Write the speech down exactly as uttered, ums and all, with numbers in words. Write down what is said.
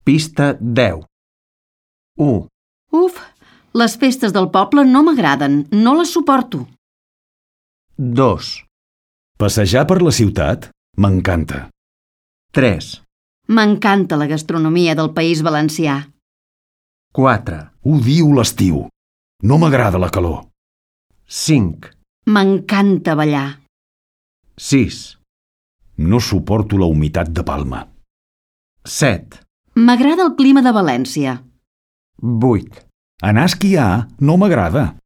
Pista deu. u. Uf, les festes del poble no m'agraden, no les suporto. dos. Passejar per la ciutat m'encanta. tres. M'encanta la gastronomia del País Valencià. quatre. Odio l'estiu. No m'agrada la calor. cinc. M'encanta ballar. sis. No suporto la humitat de Palma. set. M'agrada el clima de València. vuit. Anar a esquiar no m'agrada.